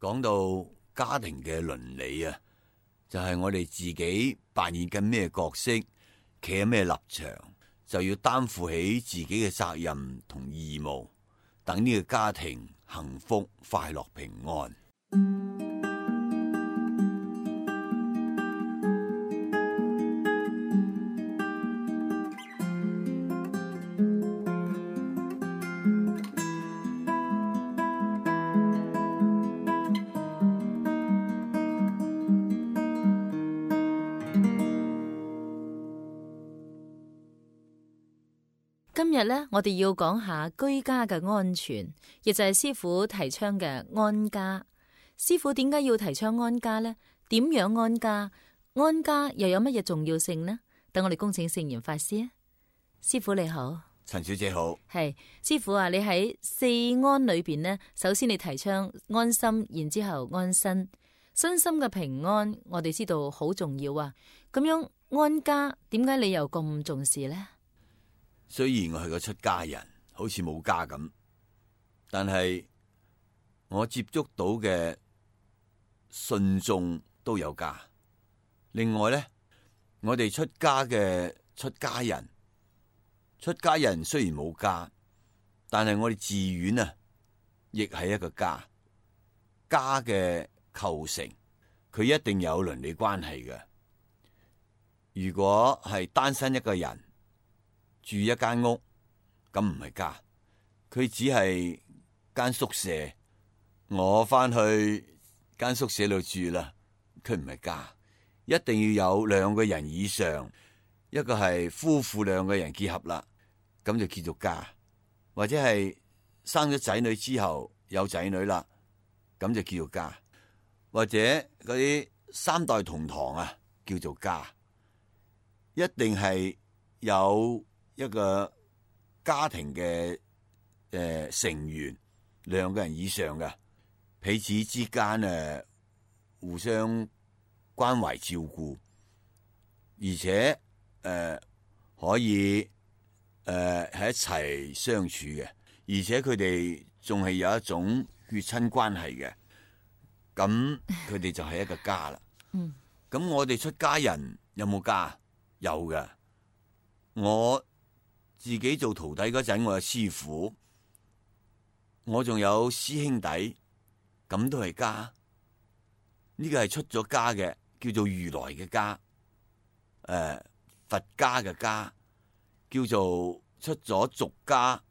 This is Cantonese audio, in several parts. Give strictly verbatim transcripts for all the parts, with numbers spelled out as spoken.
講到家庭嘅倫理啊，就係我哋自己扮演緊咩角色，企喺咩立場，就要擔負起自己嘅責任同義務，等呢個家庭幸福、快樂、平安。今日咧，我哋要講下居家嘅安全，亦就係師父提倡嘅安家。師父點解要提倡安家呢？點樣安家？安家又有乜嘢重要性呢？等我哋恭請聖嚴法師啊！師父你好，陳小姐好。係師父啊！你喺四安裏邊呢，首先你提倡安心，然之後安身，身心嘅平安，我哋知道好重要啊！咁樣安家，點解你又咁重視呢？雖然我係個出家人，好似冇家咁，但係我接觸到嘅信眾都有家。另外咧，我哋出家嘅出家人，出家人雖然冇家，但係我哋寺院啊，亦係一個家。家嘅構成，佢一定有倫理關係嘅。如果係單身一個人住一間屋，咁唔係家，佢只係間宿舍。我翻去間宿舍度住啦，佢唔係家。一定要有兩個人以上，一個係夫婦兩個人結合啦，咁就叫做家。或者係生咗仔女之後有仔女啦，咁就叫做家。或者嗰啲三代同堂啊，叫做家。一定係有一個家庭嘅誒、呃、成員兩個人以上嘅，彼此之間誒互相關懷照顧，而且誒、呃、可以誒喺、呃、一齊相處嘅，而且佢哋仲係有一種血親關係嘅，咁佢哋就係一個家啦。嗯，咁我哋出家人有冇家？有嘅，我。自己做徒弟嗰陣，我有師父，我仲有師兄弟，咁都係家。呢個係出咗家嘅，叫做如來嘅家。誒、呃，佛家嘅家，叫做出咗俗家，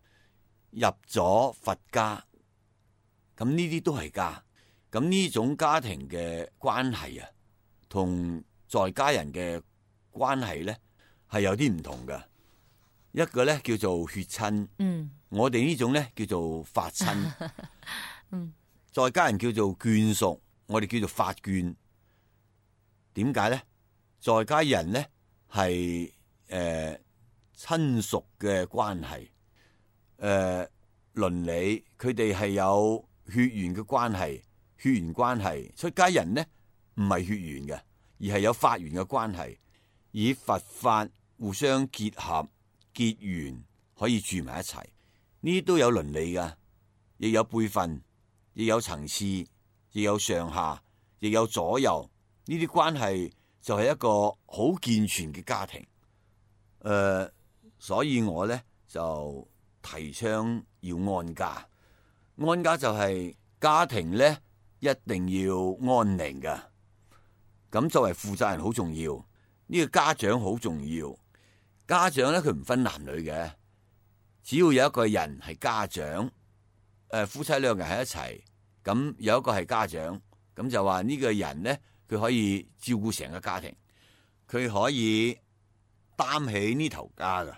入咗佛家。咁呢啲都係家。咁呢種家庭嘅關係啊，同在家人嘅關係咧，係有啲唔同嘅。一個咧叫做血親，嗯，我哋呢種咧叫做法親，嗯，在家人叫做眷屬，我哋叫做法眷。點解咧？在家人咧係誒親屬嘅關係，誒、呃、倫理，佢哋係有血緣嘅關係，血緣關係。出家人咧唔係血緣嘅，而係有法緣嘅關係，以佛法互相結合。結緣可以住埋一齊，呢啲都有倫理噶，亦有輩分，亦有層次，亦有上下，亦有左右。呢啲關係就係一個好健全嘅家庭。誒、呃，所以我咧就提倡要安家。安家就係家庭咧一定要安寧噶。咁作為負責人好重要，呢、這個家長好重要。家長咧，佢唔分男女嘅，只要有一個人係家長，誒夫妻兩人喺一齊，咁有一個係家長，咁就話呢個人咧，佢可以照顧成個家庭，佢可以擔起呢頭家㗎，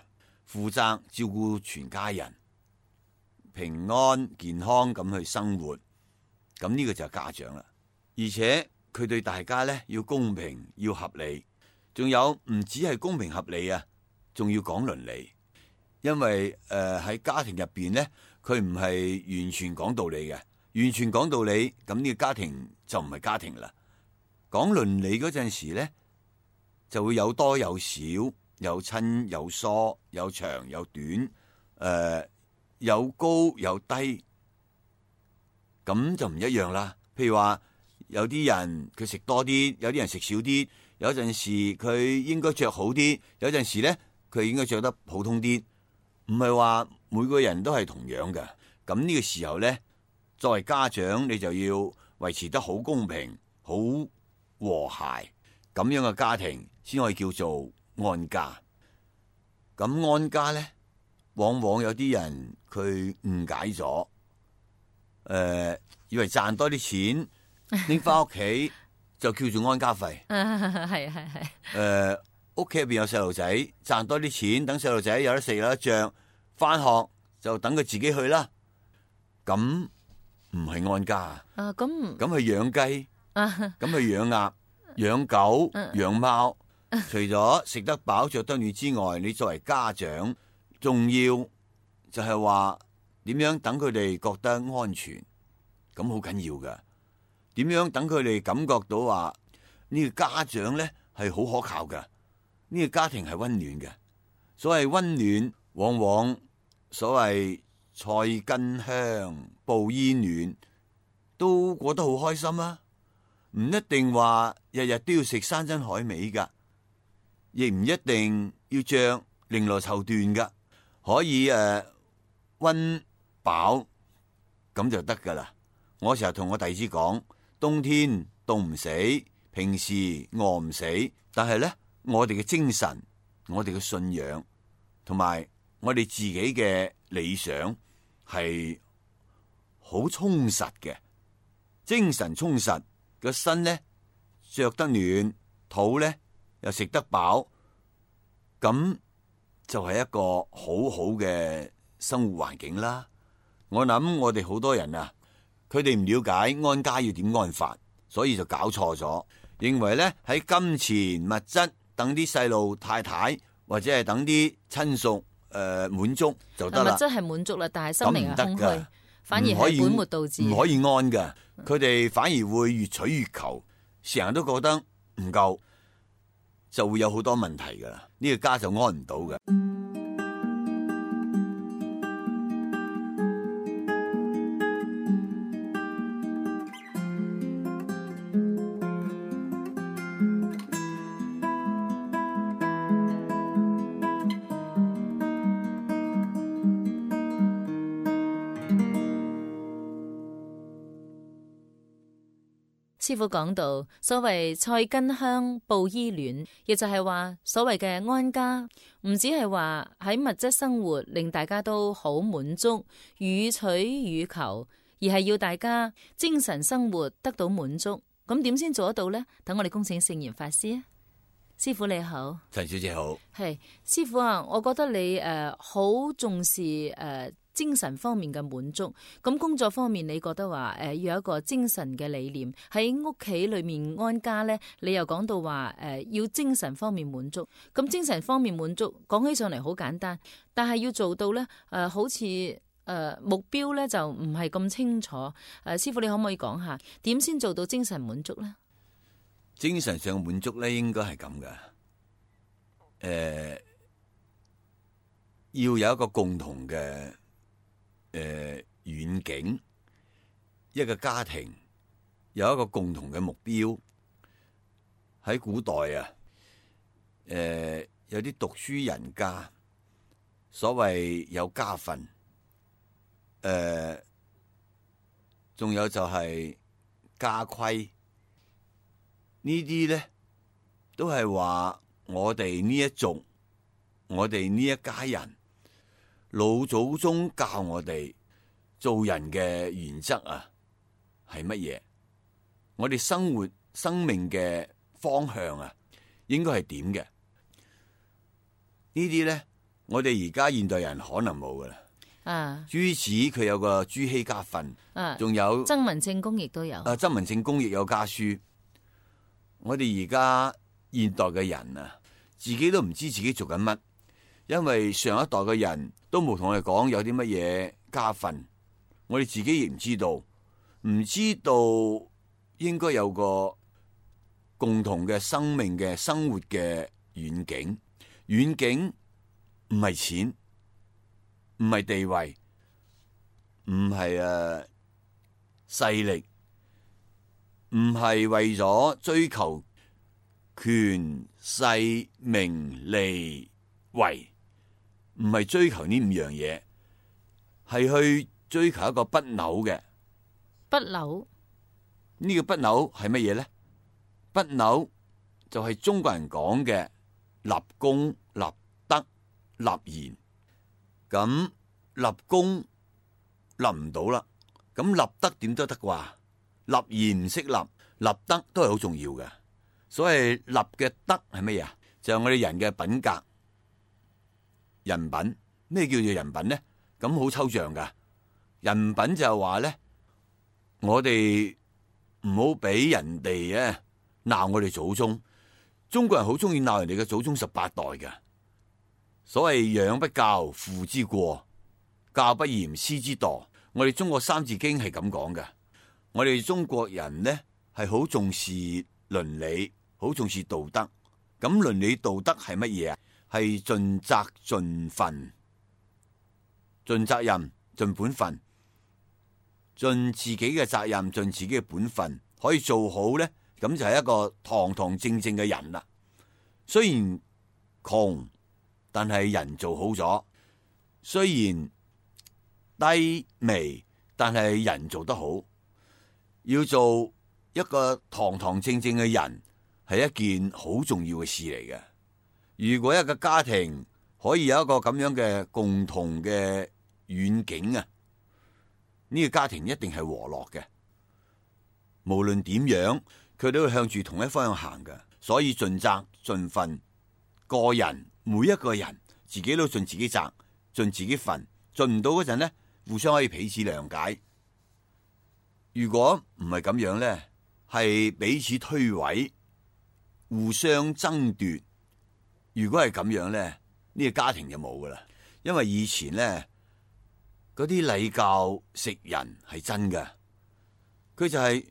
負責照顧全家人，平安健康咁去生活，咁呢個就係家長啦。而且佢對大家咧要公平，要合理，仲有唔止係公平合理啊！仲要講倫理，因為誒喺、呃、家庭入邊咧，佢唔係完全講道理嘅，完全講道理，咁呢個家庭就唔係家庭啦。講倫理嗰陣時咧，就會有多有少，有親有疏，有長有短，誒、呃、有高有低，咁就唔一樣啦。譬如話有啲人佢食多啲，有啲人食少啲，有陣時佢應該着好啲，有陣時咧佢應該着得普通啲，唔係話每個人都係同樣嘅。咁呢個時候咧，作為家長你就要維持得好公平、好和諧，咁樣嘅家庭先可以叫做安家。咁安家咧，往往有啲人佢誤解咗，誒、呃，以為賺多啲錢拎翻屋企就叫做安家費。係係係。誒，屋企入邊有細路仔，賺多啲錢，等細路仔有得食有得着，翻學就等佢自己去啦。咁唔係安家啊！啊，咁咁去養雞，啊，咁去養鴨、養狗、養貓。除咗食得飽、着得暖之外，你作為家長，仲要就係話點樣等佢哋覺得安全，咁好緊要噶。點樣等佢哋感覺到話呢個家長咧係好可靠噶，呢個家庭係溫暖嘅。所謂溫暖，往往所謂菜根香、布衣暖，都過得好開心啊！唔一定話日日都要食山珍海味噶。亦唔一定要着綾羅綢緞噶，可以誒溫飽咁就得噶啦。我成日同我弟子講，冬天凍唔死，平時餓唔死，但係咧我哋嘅精神、我哋嘅信仰同埋我哋自己嘅理想係好充實嘅，精神充實，個身咧着得暖，肚咧又食得飽，咁就係一個好好嘅生活環境啦。我諗我哋好多人啊，佢哋唔了解安家要點安法，所以就搞錯咗，認為咧喺金錢物質等啲細路太太或者係等啲親屬誒滿足就得啦。物質係滿足啦，但係心靈係空虛，反而唔可以係本末倒置，唔可以安噶。佢哋反而會越取越求，成日都覺得唔夠，就會有好多問題噶啦，呢個家就安唔到嘅。師父講到，所謂菜根香，布衣暖，亦就係話所謂嘅安家，唔只係話喺物質生活令大家都好滿足，予取予求，而係要大家精神生活得到滿足。咁點先做得到呢？等我哋恭請聖嚴法師啊！師父你好，陳小姐好。係師父啊，我覺得你誒好、呃、重視誒。呃精神方面嘅滿足，咁工作方面你覺得話誒、呃、要有一個精神嘅理念，喺屋企裏面安家咧，你又講到話誒、呃、要精神方面滿足，咁精神方面滿足講起上嚟好簡單，但係要做到咧誒、呃、好似誒、呃、目標咧就唔係咁清楚，誒、呃、師父你可唔可以講下點先做到精神滿足咧？精神上滿足咧應該係咁噶，誒、呃、要有一個共同嘅。誒，遠、呃、景，一個家庭有一個共同嘅目標。喺古代啊，誒、呃，有啲讀書人家，所謂有家訓，誒、呃，仲有就係家規，呢啲咧都係話我哋呢一族，我哋呢一家人。老祖宗教我哋做人嘅原則啊，係乜嘢？我哋生活生命嘅方向啊，應該係點嘅？呢啲咧，我哋而家現代人可能冇噶啦。啊，朱子佢有個朱熹家訓，啊，仲有曾文正公亦都有。啊，曾文正公亦有家書。我哋而家現代嘅人啊，自己都唔知自己做緊乜。因為上一代嘅人都冇同我哋講有啲乜嘢家訓，我哋自己亦唔知道，唔知道應該有個共同嘅生命嘅生活嘅遠景。遠景唔係錢，唔係地位，唔係誒勢力，唔係為咗追求權勢名利位，唔係追求呢五樣嘢，係去追求一個不朽嘅。不朽呢個不朽係乜嘢咧？不朽就係中國人講嘅立功、立德、立言。咁立功立唔到啦，咁立德點都得啩？立言唔識立，立德都係好重要嘅。所謂立嘅德係乜嘢啊？就係我哋人嘅品格、人品。咩叫做人品咧？咁好抽象噶。人品就係話咧，我哋唔好俾人哋咧鬧我哋祖宗。中國人好中意鬧人哋嘅祖宗十八代嘅。所謂養不教，父之過；教不嚴，師之惰。我哋中國三字經係咁講嘅。我哋中國人呢係好重視倫理，好重視道德。咁倫理道德係乜嘢啊？係盡責盡分，盡責任，盡本分，盡自己嘅責任，盡自己嘅本分，可以做好呢，咁就係一個堂堂正正嘅人啦。雖然窮，但係人做好咗；雖然低微，但係人做得好。要做一個堂堂正正嘅人，係一件好重要嘅事嚟嘅。如果一個家庭可以有一個咁樣嘅共同嘅遠景啊，呢個家庭一定係和樂嘅。無論點樣，佢都會向住同一方向行嘅。所以盡責盡分，個人每一個人自己都盡自己責，盡自己份，盡唔到嗰陣呢，互相可以彼此諒解。如果唔係咁樣呢，係彼此推諉，互相爭奪。如果係咁樣呢，呢個家庭就冇噶啦。因為以前呢，嗰啲禮教食人係真嘅，佢就係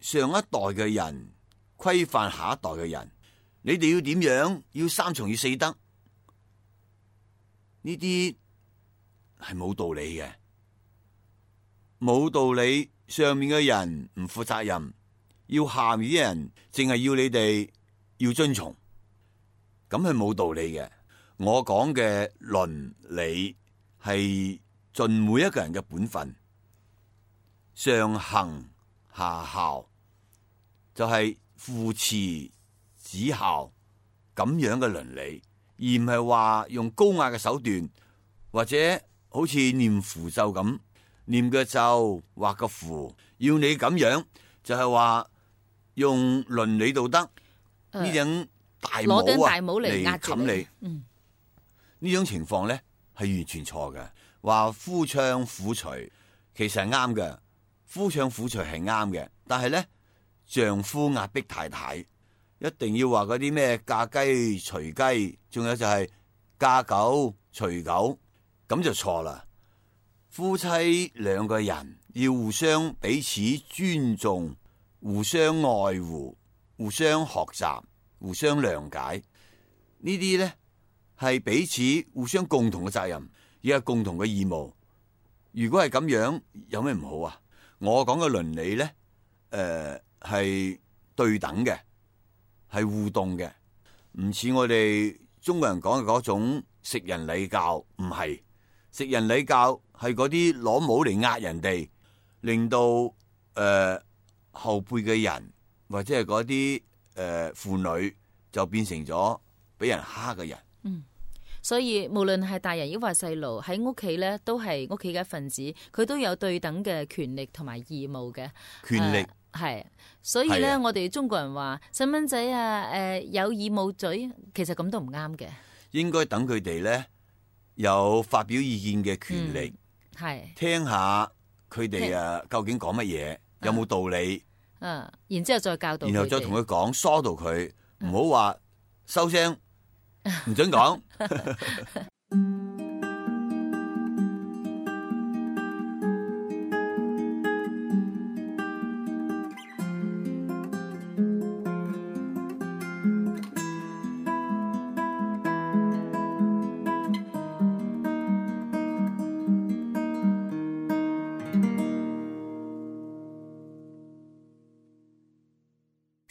上一代嘅人規範下一代嘅人。你哋要點樣？要三從要四德，呢啲係冇道理嘅，冇道理。上面嘅人唔負責任，要下面啲人淨係要你哋要遵從，咁係冇道理嘅。我講嘅倫理係盡每一個人嘅本分，上行下效，就係父慈子孝咁樣嘅倫理，而唔係話用高壓嘅手段，或者好似念符咒咁。念個咒畫個符，要你咁樣，就係、是、話用倫理道德呢、呃、種大帽啊嚟冚你。嗯，呢種情況咧係完全錯嘅。話夫唱婦隨其實係啱嘅，夫唱婦隨係啱嘅，但係咧丈夫壓迫太太，一定要話嗰啲咩嫁雞隨雞，仲有就係嫁狗隨狗，咁就錯啦。夫妻兩個人要互相彼此尊重，互相愛護，互相學習，互相諒解。呢啲呢係彼此互相共同嘅責任，亦係共同嘅義務。如果係咁樣，有咩唔好啊？我講嘅倫理呢，誒、呃、係對等嘅，係互動嘅，唔似我哋中國人講嘅嗰種食人禮教，唔係。食人禮教係嗰啲攞帽嚟壓人哋，令到誒、呃、後輩嘅人或者係嗰啲誒婦女就變成咗俾人蝦嘅人。嗯，所以無論係大人抑或細路喺屋企咧，都係屋企嘅一份子，佢都有對等嘅權力同埋義務嘅權力係、呃。所以咧，我哋中國人話細蚊仔啊，誒、呃、有耳冇嘴，其實咁都唔啱嘅。應該等佢哋咧。有發表意見嘅權利，係、嗯、聽下佢哋啊，究竟講乜嘢，有冇道理？嗯、啊，然之後再教導，然後再同佢講，疏導佢，唔好話收聲，唔准講。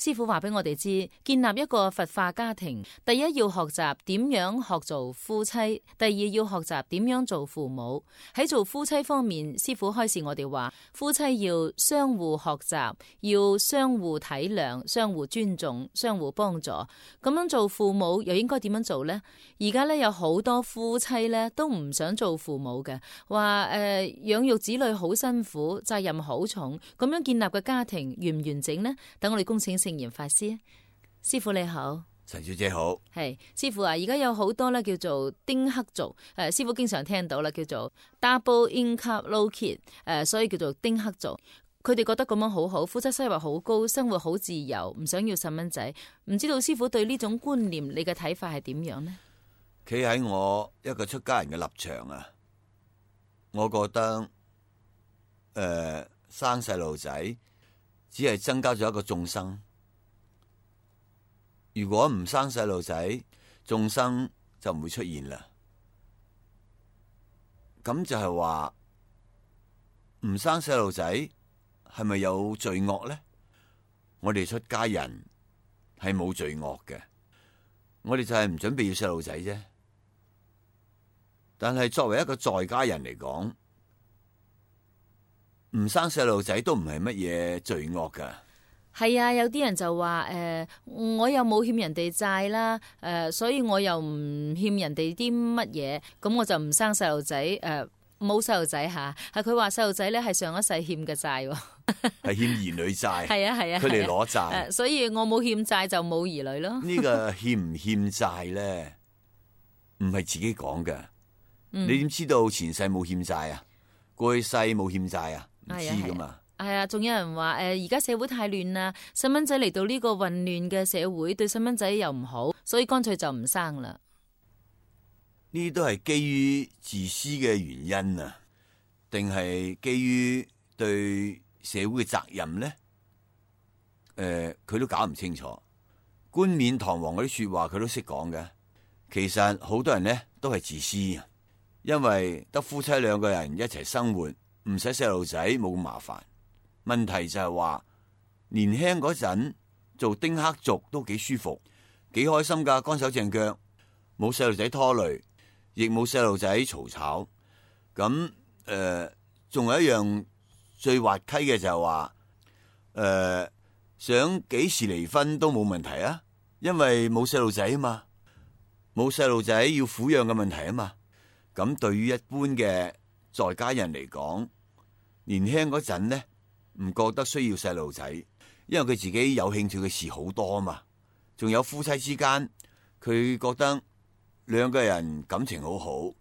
師父話俾我哋知，建立一個佛化家庭，第一要學習點樣學做夫妻，第二要學習點樣做父母。喺做夫妻方面，師父開示我哋話，夫妻要相互學習，要相互體諒，相互尊重，相互幫助。咁樣做父母又應該點樣做呢？而家咧有好多夫妻咧都唔想做父母嘅，話誒養育子女好辛苦，責任好重，咁樣建立嘅家庭完唔完整呢？等我哋恭請聖嚴法師。師父你好。陳小姐好。係師父啊，而家有好多咧叫做丁克族，誒師父經常聽到啦，叫做 double income low kid，誒所以叫做丁克族。佢哋覺得咁樣好好，夫妻收入好高，生活好自由，唔想要細蚊仔。唔知道師父對呢種觀念，你嘅睇法係點樣呢？企喺我一個出家人嘅立場啊，我覺得誒、呃、生細路仔只係增加咗一個眾生。如果唔生細路仔，眾生就唔會出現啦。咁就係話唔生細路仔係咪有罪惡呢？我哋出家人係冇罪惡嘅，我哋就係唔準備要細路仔啫。但係作為一個在家人嚟講，唔生細路仔都唔係乜嘢罪惡噶。係啊，有啲人就話誒、呃，我又冇欠人哋債啦，誒、呃，所以我又唔欠人哋啲乜嘢，咁我就唔生細路仔，誒、呃，冇細路仔吓，係佢話細路仔咧係上一世欠嘅債，係欠兒女債，係啊係啊，佢哋攞債，呃，所以我冇欠債就冇兒女咯。呢個欠唔欠債咧，唔係自己講嘅，嗯，你點知道前世冇欠債啊？過去世冇欠債啊？唔知噶嘛。係啊，仲有人話誒，而家社會太亂啦，細蚊仔嚟到呢個混亂嘅社會，對細蚊仔又唔好，所以乾脆就唔生啦。呢都係基於自私嘅原因啊，定係基於對社會嘅責任咧？誒、呃，佢都搞唔清楚。冠冕堂皇嗰啲說話，佢都識講嘅。其實好多人咧都係自私啊，因為得夫妻兩個人一齊生活，唔使細路仔，冇咁麻煩。問題就係話年輕嗰陣做丁克族都幾舒服，幾開心噶，乾手淨腳，冇細路仔拖累，亦冇細路仔嘈吵。咁誒，仲、呃、有一樣最滑稽嘅就係話，誒、呃、想幾時離婚都冇問題啊，因為冇細路仔啊嘛，冇細路仔要撫養嘅問題啊嘛。咁對於一般嘅在家人嚟講，年輕嗰陣呢，唔覺得需要細路仔，因為佢自己有興趣嘅事好多啊嘛。仲有夫妻之間，佢覺得兩個人感情好好，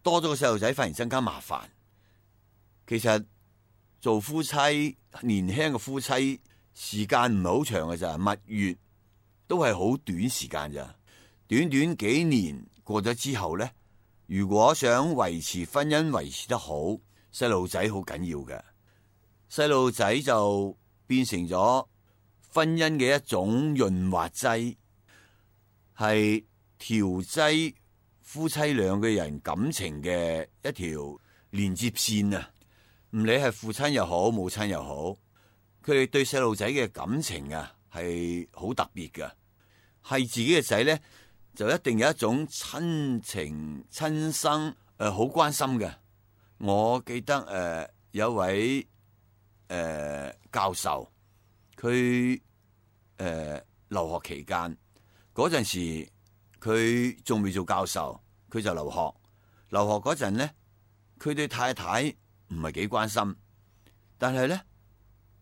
多咗個細路仔反而增加麻煩。其實做夫妻，年輕嘅夫妻時間唔係好長嘅咋，蜜月都係好短時間咋。短短幾年過咗之後呢，如果想維持婚姻維持得好，細路仔好緊要嘅。細路仔就變成咗婚姻嘅一種潤滑劑，係調劑夫妻兩個人感情嘅一條連接線啊！唔理係父親又好，母親又好，佢哋對細路仔嘅感情啊係好特別㗎。係自己嘅仔咧，就一定有一種親情親生誒，好、呃、關心嘅。我記得誒、呃、有位。誒、呃，教授佢誒、呃、留學期間嗰陣時，佢仲未做教授，佢就留學。留學嗰陣咧，佢對太太唔係幾關心，但係咧，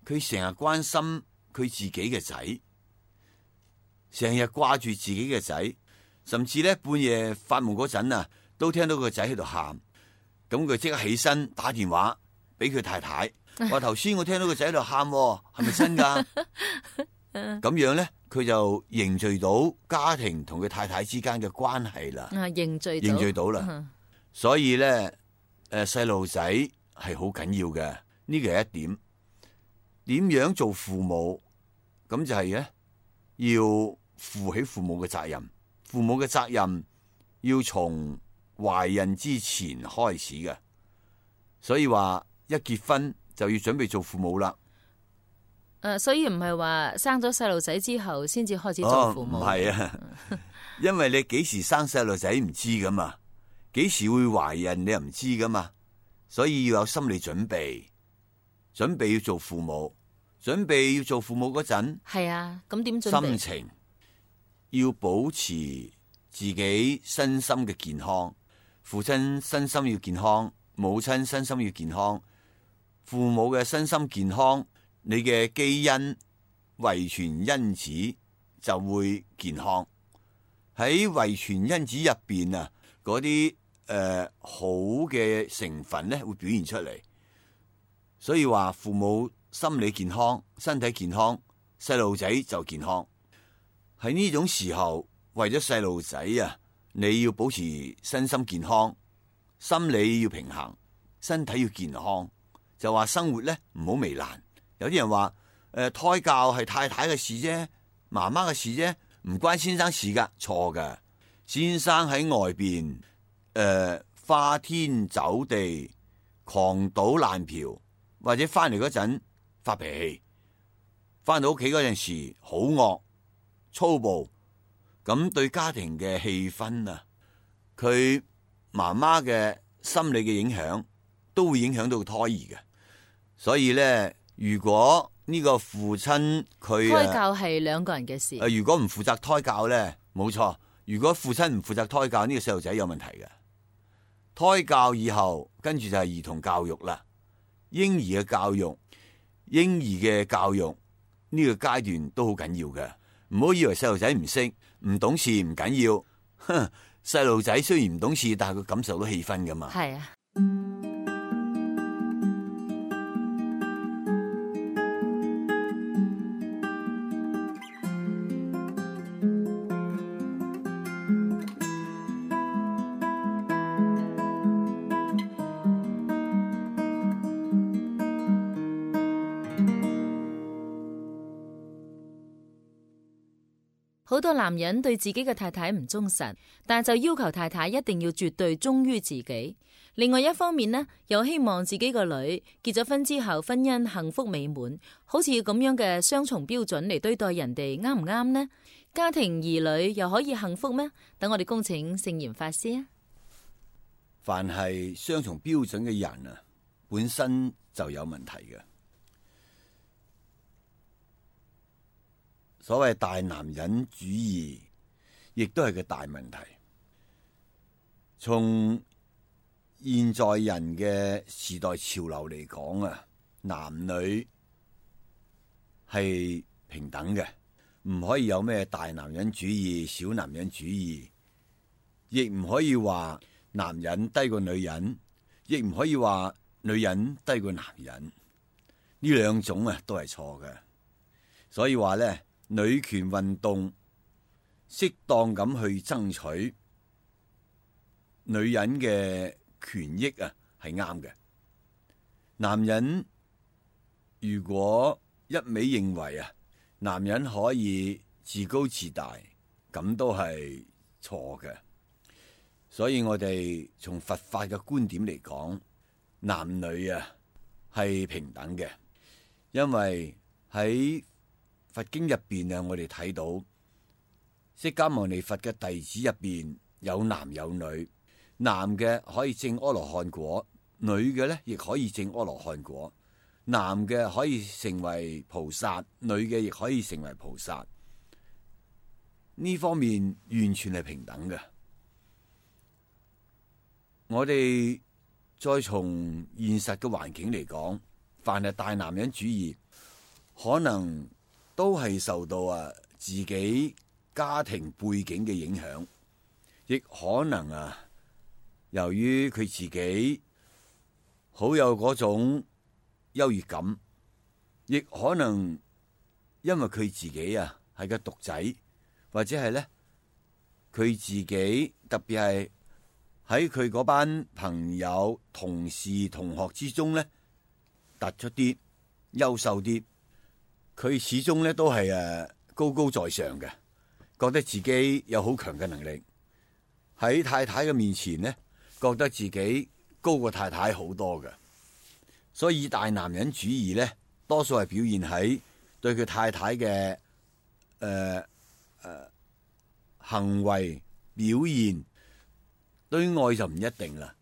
佢成日關心佢自己嘅仔，成日掛住自己嘅仔，甚至咧半夜發夢嗰陣啊，都聽到個仔喺度喊，咁佢即刻起身打電話俾佢太太。話頭先我聽到個仔喺度喊，係咪真噶？咁樣咧，佢就凝聚到家庭同佢太太之間嘅關係啦。啊，凝聚凝聚到啦。嗯、所以咧，誒，細路仔係好緊要嘅，呢個係一點。點樣做父母？咁就係咧，要負起父母嘅責任。父母嘅責任要從懷孕之前開始嘅。所以話一結婚就要準備做父母啦。誒，所以唔係話生咗細路仔之後先至開始做父母。唔係啊，因為你幾時生細路仔唔知噶嘛，幾時會懷孕你又唔知噶嘛，所以要有心理準備，準備要做父母，準備要做父母嗰陣，係啊，咁點準備？心情要保持自己身心嘅健康，父親身心要健康，母親身心要健康，父母嘅身心健康，你嘅基因遺傳因子就會健康。喺遺傳因子入邊啊，嗰啲誒好嘅成分咧會表現出嚟。所以話父母心理健康、身體健康，細路仔就健康。喺呢種時候，為咗細路仔啊，你要保持身心健康，心理要平衡，身體要健康。就話生活咧唔好糜爛。有啲人話誒、呃、胎教係太太嘅事啫，媽媽嘅事啫，唔關先生事噶，錯噶。先生喺外邊誒、呃、花天酒地、狂賭爛嫖，或者翻嚟嗰陣發脾氣，翻到屋企嗰陣時好惡粗暴，咁對家庭嘅氣氛啊，佢媽媽嘅心理嘅影響都會影響到胎兒嘅。所以咧，如果呢個父親佢胎教係兩個人嘅事。誒，如果唔負責胎教咧，冇錯。如果父親唔負責胎教，呢個細路仔有問題嘅。胎教以後，跟住就係兒童教育啦。嬰兒嘅教育，嬰兒嘅教育呢個階段都好緊要嘅。唔好以為細路仔唔識、唔懂事唔緊要。哼，細路仔雖然唔懂事，但係佢感受到氣氛噶嘛。係啊。好多男人對自己嘅太太唔忠實，但就要求太太一定要絕對忠於自己。另外一方面呢，又希望自己個女結咗婚之後婚姻幸福美滿，好似咁樣嘅雙重標準嚟對待人哋，啱唔啱呢？家庭兒女又可以幸福咩？等我哋恭請聖嚴法師啊！凡係雙重標準嘅人啊，本身就有問題嘅。所謂大男人主義，亦都係個大問題。從現在人嘅時代潮流嚟講啊，男女係平等嘅，唔可以有咩大男人主義、小男人主義，亦唔可以話男人低過女人，亦唔可以話女人低過男人。呢兩種啊都係錯嘅。所以話咧，女權運動適當咁去爭取女人嘅權益啊，係啱嘅。男人如果一味認為啊，男人可以自高自大，咁都係錯嘅。所以我哋從佛法嘅觀點嚟講，男女啊係平等嘅，因為喺佛經入邊啊，我哋睇到釋迦牟尼佛嘅弟子入邊有男有女，男嘅可以證阿羅漢果，女嘅咧亦可以證阿羅漢果。男嘅可以成為菩薩，女嘅亦可以成為菩薩。呢方面完全係平等嘅。我哋再從現實嘅環境嚟講，凡係大男人主義，可能都係受到啊自己家庭背景嘅影響，亦可能啊由於佢自己好有嗰種優越感，亦可能因為佢自己啊係個獨仔，或者係咧佢自己特別係喺佢嗰班朋友、同事、同學之中咧突出啲、優秀啲。佢始終咧都係誒高高在上嘅，覺得自己有好強嘅能力。喺太太嘅面前咧，覺得自己高過太太好多嘅。所以大男人主義咧，多數係表現喺對佢太太嘅誒誒行為表現，對外就唔一定啦。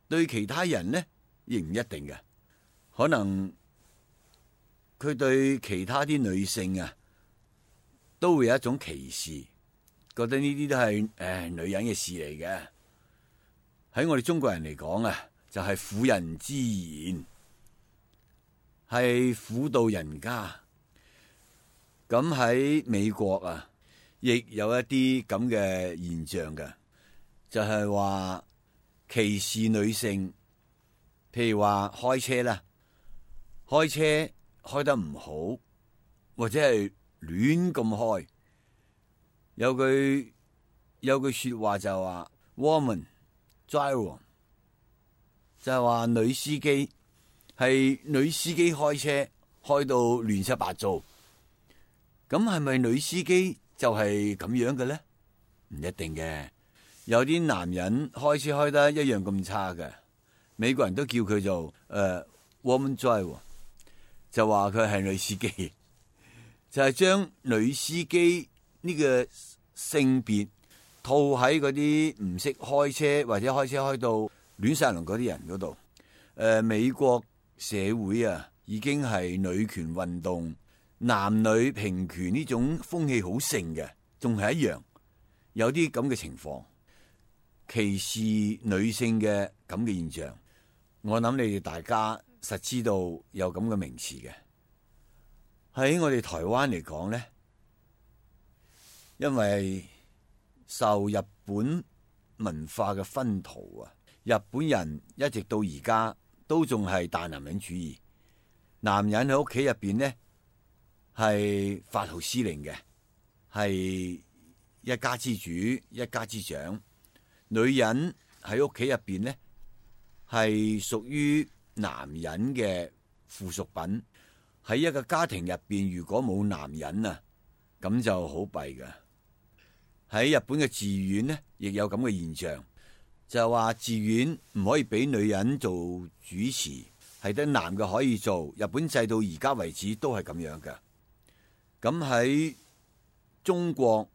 對其他人呢，亦唔一定嘅。可能佢對其他啲女性啊，都會有一種歧視，覺得呢啲都係誒女人嘅事嚟嘅。喺我哋中國人嚟講啊，就係婦人之言，係婦道人家。咁喺美國啊，亦有一啲咁嘅現象嘅，就係話歧視女性。譬如話開車啦，開車開得唔好，或者係亂咁開。有句有句說話就話 woman driver， 就係話女司機係女司機開車開到亂七八糟。咁係咪女司機就係咁樣嘅咧？唔一定嘅，有啲男人開車開得一樣咁差嘅，美國人都叫佢做誒、呃、woman driver， 就話佢係女司機，就係、是、將女司機呢個性別套喺嗰啲唔識開車或者開車開到亂晒龍嗰啲人嗰度。誒、呃，美國社會啊，已經係女權運動、男女平權呢種風氣好盛嘅，仲係一樣有啲咁嘅情況，歧視女性嘅咁嘅現象。我諗你哋大家實知道有咁嘅名詞嘅。喺我哋台灣嚟講咧，因為受日本文化嘅熏陶啊，日本人一直到而家都仲係大男人主義，男人喺屋企入邊咧係發號施令嘅，係一家之主、一家之長。女人喺屋企入邊咧係屬於男人嘅附屬品。喺一個家庭入邊，如果冇男人啊，咁就好弊㗎。喺日本嘅寺院呢，亦有咁嘅現象，就係話寺院唔可以俾女人做主持，係得男嘅可以做。日本制到而家為止都係咁樣嘅。咁喺中國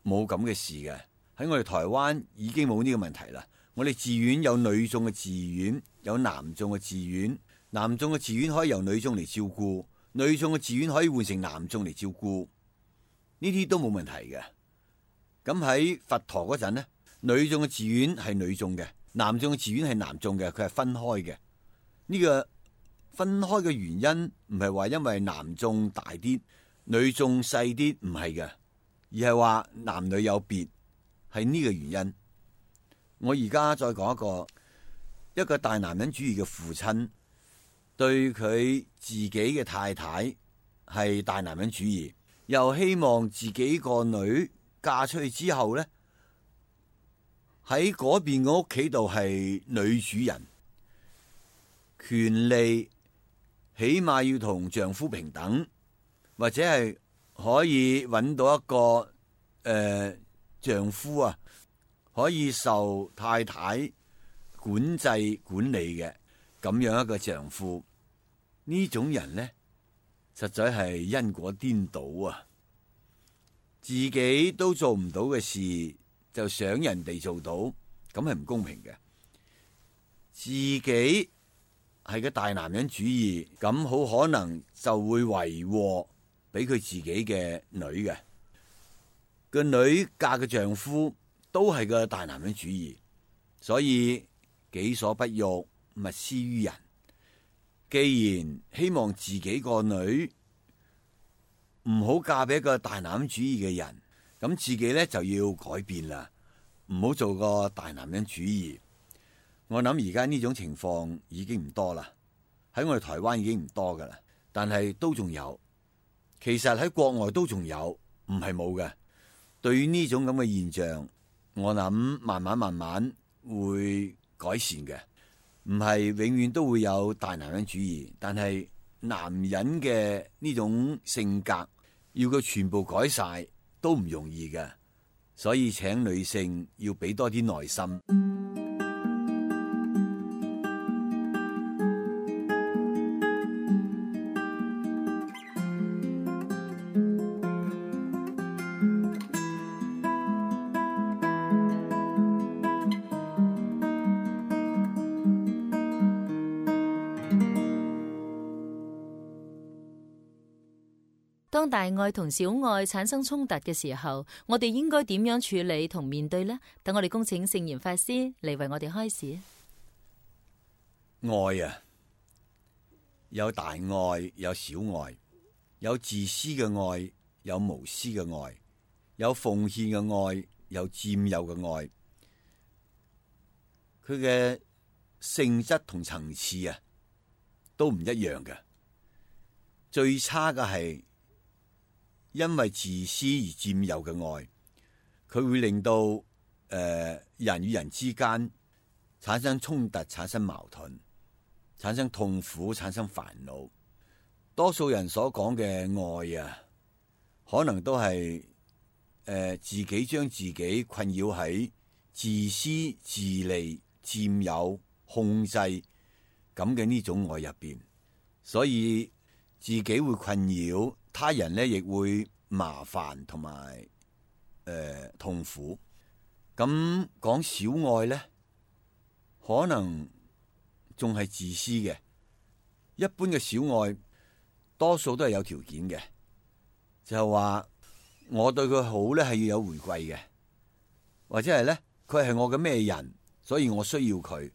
冇咁嘅事嘅，喺我哋台灣已經冇呢個問題啦。我哋寺院有女眾嘅寺院，有男眾嘅寺院。男眾嘅寺院可以由女眾嚟照顧，女眾嘅寺院可以換成男眾嚟照顧，呢啲都冇問題嘅。咁喺佛陀嗰陣呢，女眾嘅寺院係女眾嘅，男眾嘅寺院係男眾嘅，佢係分開嘅。呢個分開嘅原因唔係話因為男眾大啲，女眾細啲，唔係嘅，而係話男女有別，係呢個原因。我而家再講一個一個大男人主義嘅父親，對佢自己嘅太太係大男人主義，又希望自己個女嫁出去之後咧，喺嗰邊嘅屋企度係女主人，權利起碼要同丈夫平等，或者係可以揾到一個誒、呃、丈夫啊，可以受太太管制管理嘅。咁樣一個丈夫，呢種人呢，實在係因果顛倒啊！自己都做唔到嘅事，就想人哋做到，咁係唔公平嘅。自己係個大男人主義，咁好可能就會為禍俾佢自己嘅女嘅。個女嫁嘅丈夫都係個大男人主義，所以己所不欲，勿施於人。既然希望自己個女唔好嫁俾一個大男人主義嘅人，咁自己咧就要改變啦，唔好做個大男人主義。我諗而家呢種情況已經唔多啦，喺我哋台灣已經唔多噶啦，但係都仲有。其實喺國外都仲有，唔係冇嘅。對於呢種咁嘅現象，我諗慢慢慢慢會改善嘅。唔係永遠都會有大男人主義，但係男人嘅呢種性格要佢全部改晒都唔容易嘅，所以請女性要俾多啲耐心。當大愛同小愛產生衝突嘅時候，我哋應該點樣處理同面對呢？等我哋恭請聖嚴法師嚟為我哋開示。愛啊，有大愛，有小愛，有自私嘅愛，有無私嘅愛，有奉獻嘅愛，有佔有嘅愛。佢嘅性質同層次啊，都唔一樣嘅。最差嘅係因為自私而佔有嘅愛，佢會令到誒、呃、人與人之間產生衝突，產生矛盾，產生痛苦，產生煩惱。多數人所講嘅愛啊，可能都係誒、呃、自己將自己困擾喺自私自利、佔有、控制咁嘅呢種愛入邊，所以自己會困擾，他人呢亦會麻煩同埋誒痛苦。咁講小愛呢，可能仲係自私嘅。一般嘅小愛，多數都係有條件嘅，就係話我對佢好呢係要有回饋嘅，或者係呢，佢係我嘅咩人，所以我需要佢，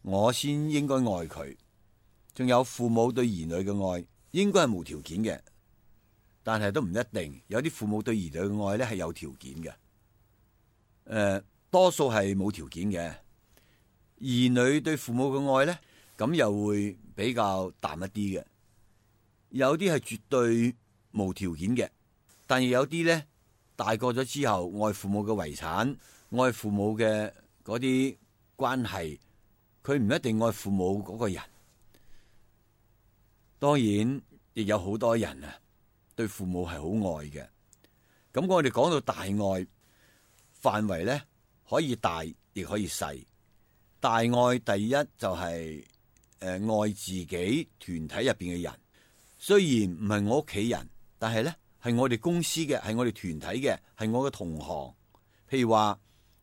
我先應該愛佢。仲有父母對兒女嘅愛，應該係無條件嘅，但係都唔一定。有啲父母對兒女嘅愛咧係有條件嘅，誒、呃，多數係冇條件嘅。兒女對父母嘅愛咧，咁又會比較淡一啲嘅。有啲係絕對無條件嘅，但係有啲咧大個咗之後，愛父母嘅遺產，愛父母嘅嗰啲關係，佢唔一定愛父母嗰個人。當然，亦有好多人啊，對父母係好愛嘅。咁我哋講到大愛範圍咧，可以大，亦可以細。大愛第一就係、是、誒、呃、愛自己團體入邊嘅人，雖然唔係我屋企人，但係咧係我哋公司嘅，係我哋團體嘅，係我嘅同行。譬如話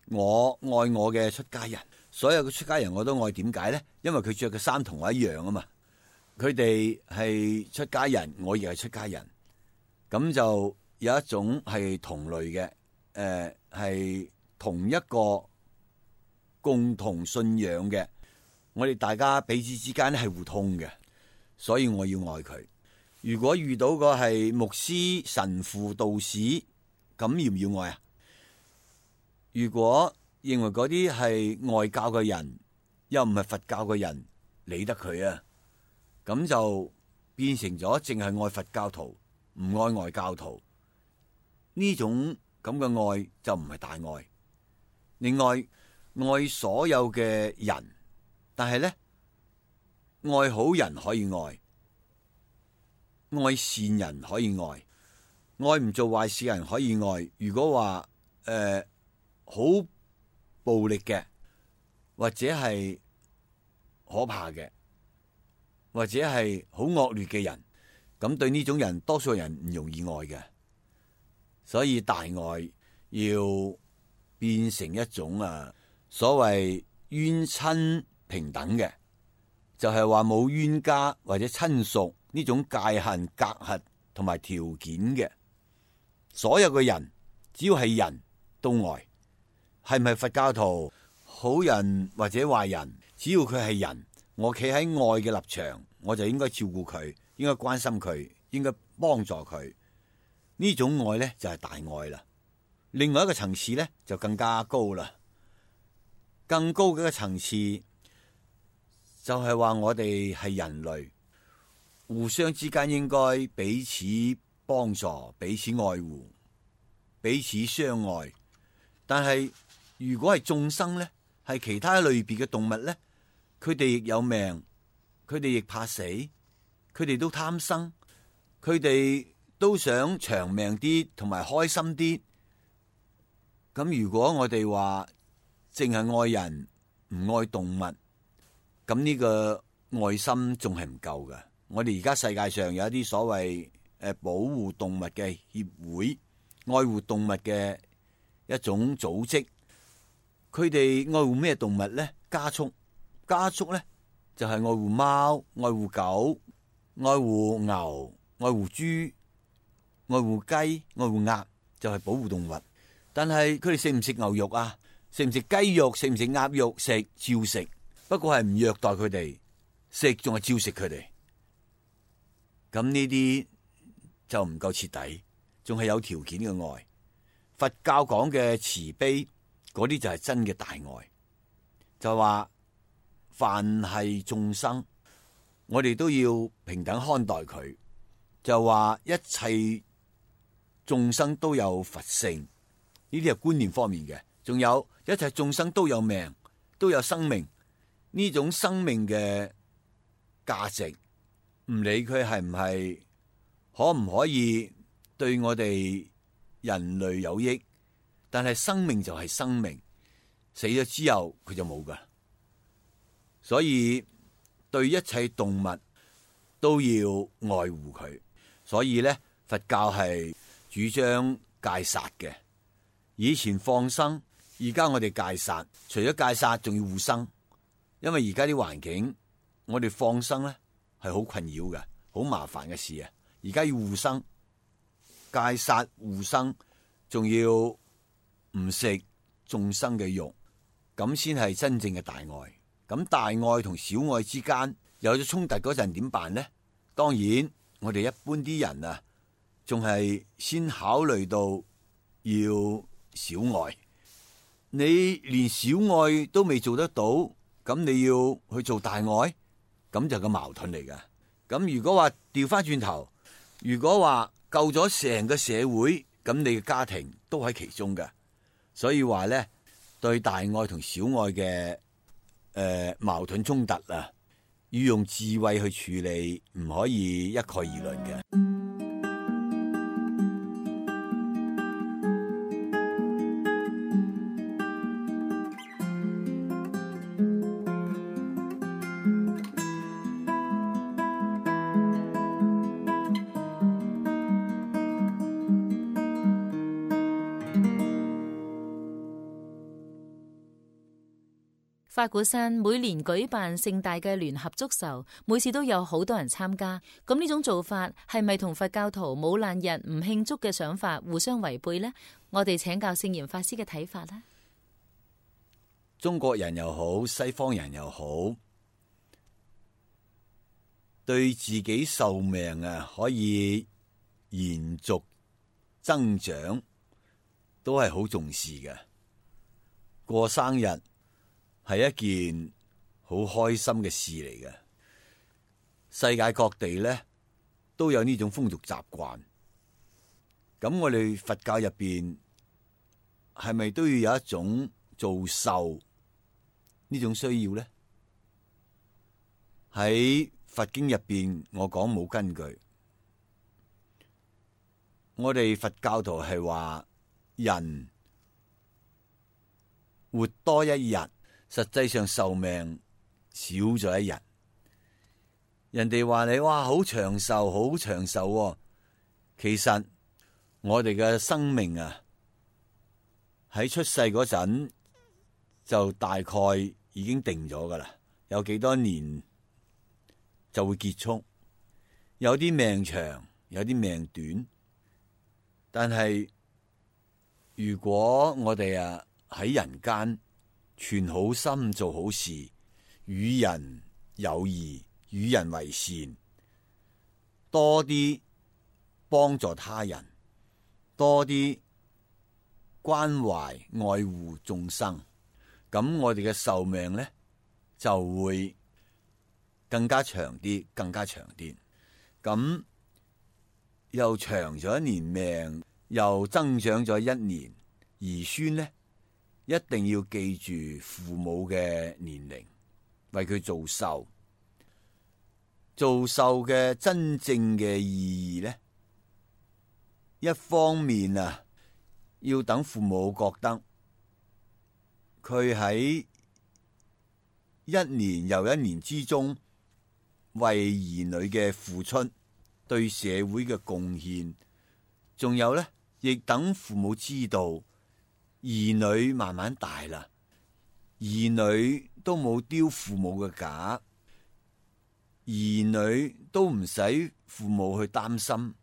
我愛我嘅出家人，所有嘅出家人我都愛。點解咧？因為佢着嘅衫同我一樣啊嘛。佢哋係出家人，我亦係出家人，咁就有一種係同類嘅，誒、呃、係同一個共同信仰嘅，我哋大家彼此之間咧係互通嘅，所以我要愛佢。如果遇到個係牧師、神父、道士，咁要唔要愛啊？如果認為嗰啲係外教嘅人，又唔係佛教嘅人，理得佢啊？咁就變成咗淨係愛佛教徒，唔愛外教徒。呢種咁嘅愛就唔係大愛。另外，愛所有嘅人，但係咧，愛好人可以愛，愛善人可以愛，愛唔做壞事嘅人可以愛。如果話誒好暴力嘅，或者係可怕嘅，或者係好惡劣嘅人，咁對呢種人，多數人唔容易愛嘅。所以大愛要變成一種啊，所謂冤親平等嘅，就係話冇冤家或者親屬呢種界限隔閡同埋條件嘅。所有嘅人只要係人都愛，係唔係佛教徒、好人或者壞人，只要佢係人，我企喺愛嘅立場，我就應該照顧佢，應該關心佢，應該幫助佢。呢種愛呢，就係大愛啦。另外一個層次呢，就更加高啦。更高嘅一個層次就係話我哋係人類，互相之間應該彼此幫助、彼此愛護、彼此相愛。但係如果係眾生呢，係其他類別嘅動物呢，佢哋亦有命，佢哋亦怕死，佢哋都貪生，佢哋都想長命啲同埋開心啲。咁如果我哋話淨係愛人唔愛動物，咁呢個愛心仲係唔夠嘅。我哋而家世界上有一啲所謂誒保護動物嘅協會、愛護動物嘅一種組織，佢哋愛護咩動物咧？家畜，家畜咧就係愛護貓、愛護狗、愛護牛、愛護豬。愛護雞、愛護鴨，就係保護動物。但係佢哋食唔食牛肉啊？食唔食雞肉？食唔食鴨肉？食，照食，不過係唔虐待佢哋，食仲係照食佢哋。咁呢啲就唔夠徹底，仲係有條件嘅愛。佛教講嘅慈悲，嗰啲就係真嘅大愛。就話凡係眾生，我哋都要平等看待佢。就話一切眾生都有佛性，呢啲係觀念方面嘅。仲有一切眾生都有命，都有生命。呢種生命嘅價值，唔理佢係唔係可唔可以對我哋人類有益，但係生命就係生命，死咗之後佢就冇噶。所以對一切動物都要愛護佢。所以咧，佛教係主張戒殺嘅。以前放生，而家我哋戒殺。除咗戒殺，仲要護生。因為而家啲環境，我哋放生咧係好困擾嘅，好麻煩嘅事啊。而家要護生、戒殺、護生，仲要唔食眾生嘅肉，咁先係真正嘅大愛。咁大愛同小愛之間有咗衝突嗰陣點辦呢？當然，我哋一般啲人啊，仲係先考慮到要小愛。你連小愛都未做得到，咁你要去做大愛，咁就個矛盾嚟㗎。咁如果話調翻轉頭，如果話救咗成個社會，咁你嘅家庭都喺其中㗎。所以話咧，對大愛同小愛嘅誒、呃、矛盾衝突啊，要用智慧去處理，唔可以一概而論嘅。法鼓山每年舉辦盛大嘅聯合祝壽，每次都有好多人參加。咁呢種做法係咪同佛教徒冇難日唔慶祝嘅想法互相違背呢？我哋請教聖嚴法師嘅睇法啦。中國人又好，西方人又好，對自己壽命啊可以延續增長，都係好重視嘅。過生日係一件好開心嘅事嚟嘅，世界各地咧都有呢種風俗習慣。咁我哋佛教入邊係咪都要有一種做壽呢種需要咧？喺佛經入邊，我講冇根據。我哋佛教徒係話人活多一日，實際上壽命少咗一日。人哋話你哇好長壽，好長壽喎。其實我哋嘅生命啊，喺出世嗰陣就大概已經定咗噶啦，有幾多年就會結束。有啲命長，有啲命短。但係如果我哋啊喺人間存好心，做好事，與人有義，與人為善，多啲幫助他人，多啲關懷愛護眾生，咁我哋嘅壽命咧就會更加長啲，更加長啲。咁又長咗一年命，又增長咗一年，兒孫咧一定要記住父母嘅年齡，為佢做壽。做壽嘅真正嘅意義咧，一方面啊，要等父母覺得佢喺一年又一年之中為兒女嘅付出，對社會嘅貢獻，仲有咧，亦等父母知道兒女慢慢大啦，兒女都冇丟父母嘅架，兒女都唔使父母去擔心，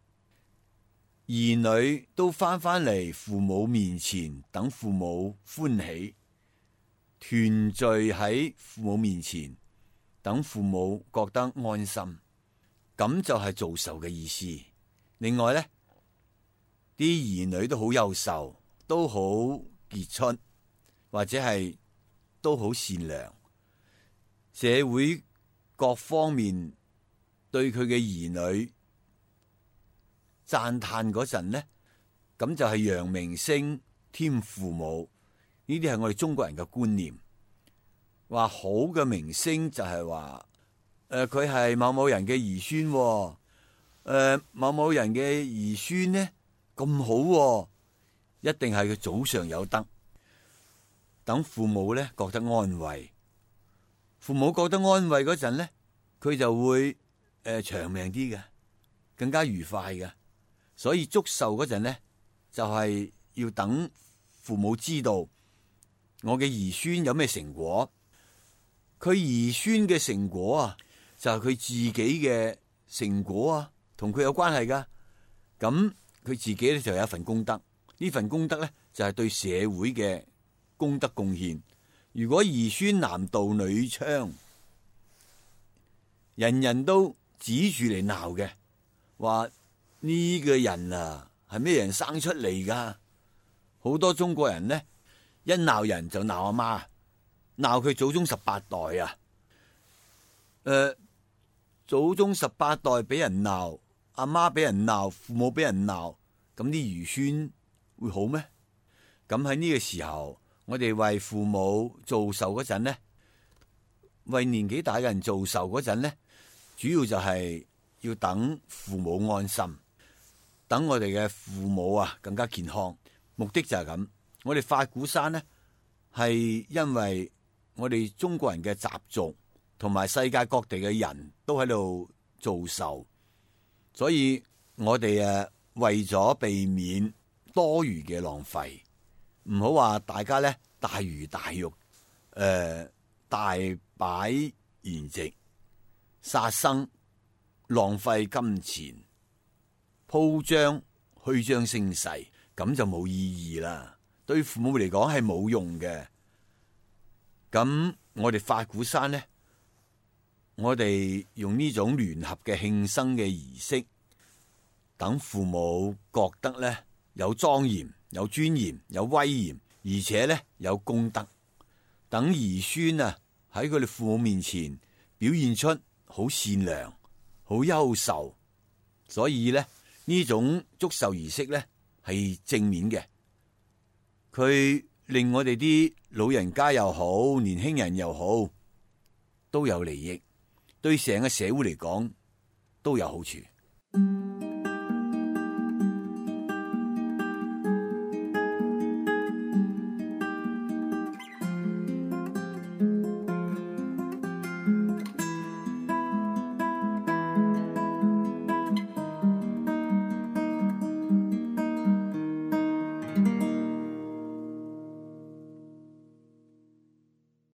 兒女都翻返嚟父母面前，等父母歡喜，團聚喺父母面前，等父母覺得安心，咁就係做壽嘅意思。另外呢，啲兒女都好優秀，都好傑出，或者係都好善良，社會各方面對佢嘅兒女讚嘆嗰陣呢，咁就係揚名聲添父母。呢啲係我哋中國人嘅觀念，話好嘅名聲就係話，誒佢係某某人嘅兒孫，誒、呃、某某人嘅兒孫呢咁好，一定係佢祖上有德，等父母呢覺得安慰。父母覺得安慰嗰陣呢，佢就會誒、呃、長命啲嘅，更加愉快嘅。所以祝壽嗰陣呢，就係、是、要等父母知道我嘅兒孫有咩成果。佢兒孫嘅成果啊，就係、是、佢自己嘅成果啊，同佢有關係噶。咁佢自己咧就有一份功德，呢份功德咧就係、是、對社會嘅功德貢獻。如果兒孫男盜女娼，人人都指住嚟鬧嘅，話呢個人啊係咩人生出嚟噶？好多中國人呢，一鬧人就鬧阿媽，鬧佢祖宗十八代啊！誒、呃，祖宗十八代俾人鬧，阿媽俾人鬧，父母俾人鬧，咁啲兒孫會好咩？咁喺呢個時候，我哋為父母做壽嗰陣呢，為年紀大嘅人做壽嗰陣呢，主要就係要等父母安心，等我哋嘅父母啊更加健康。目的就係咁。我哋法鼓山呢，係因為我哋中國人嘅習俗，同埋世界各地嘅人都喺度做壽，所以我哋誒為咗避免多餘嘅浪費，唔好話大家咧大魚大肉，誒、呃、大擺筵席，殺生，浪費金錢，鋪張虛張聲勢，咁就冇意義啦。對父母嚟講係冇用嘅。咁我哋法鼓山呢，我哋用呢種聯合嘅慶生嘅儀式，等父母覺得呢有莊嚴、有尊嚴、有威嚴，而且呢有功德。等兒孫啊喺佢哋父母面前表現出好善良、好優秀，所以呢呢種祝壽儀式呢係正面嘅。佢令我哋啲老人家又好，年輕人又好，都有利益，對成個社會嚟講都有好處。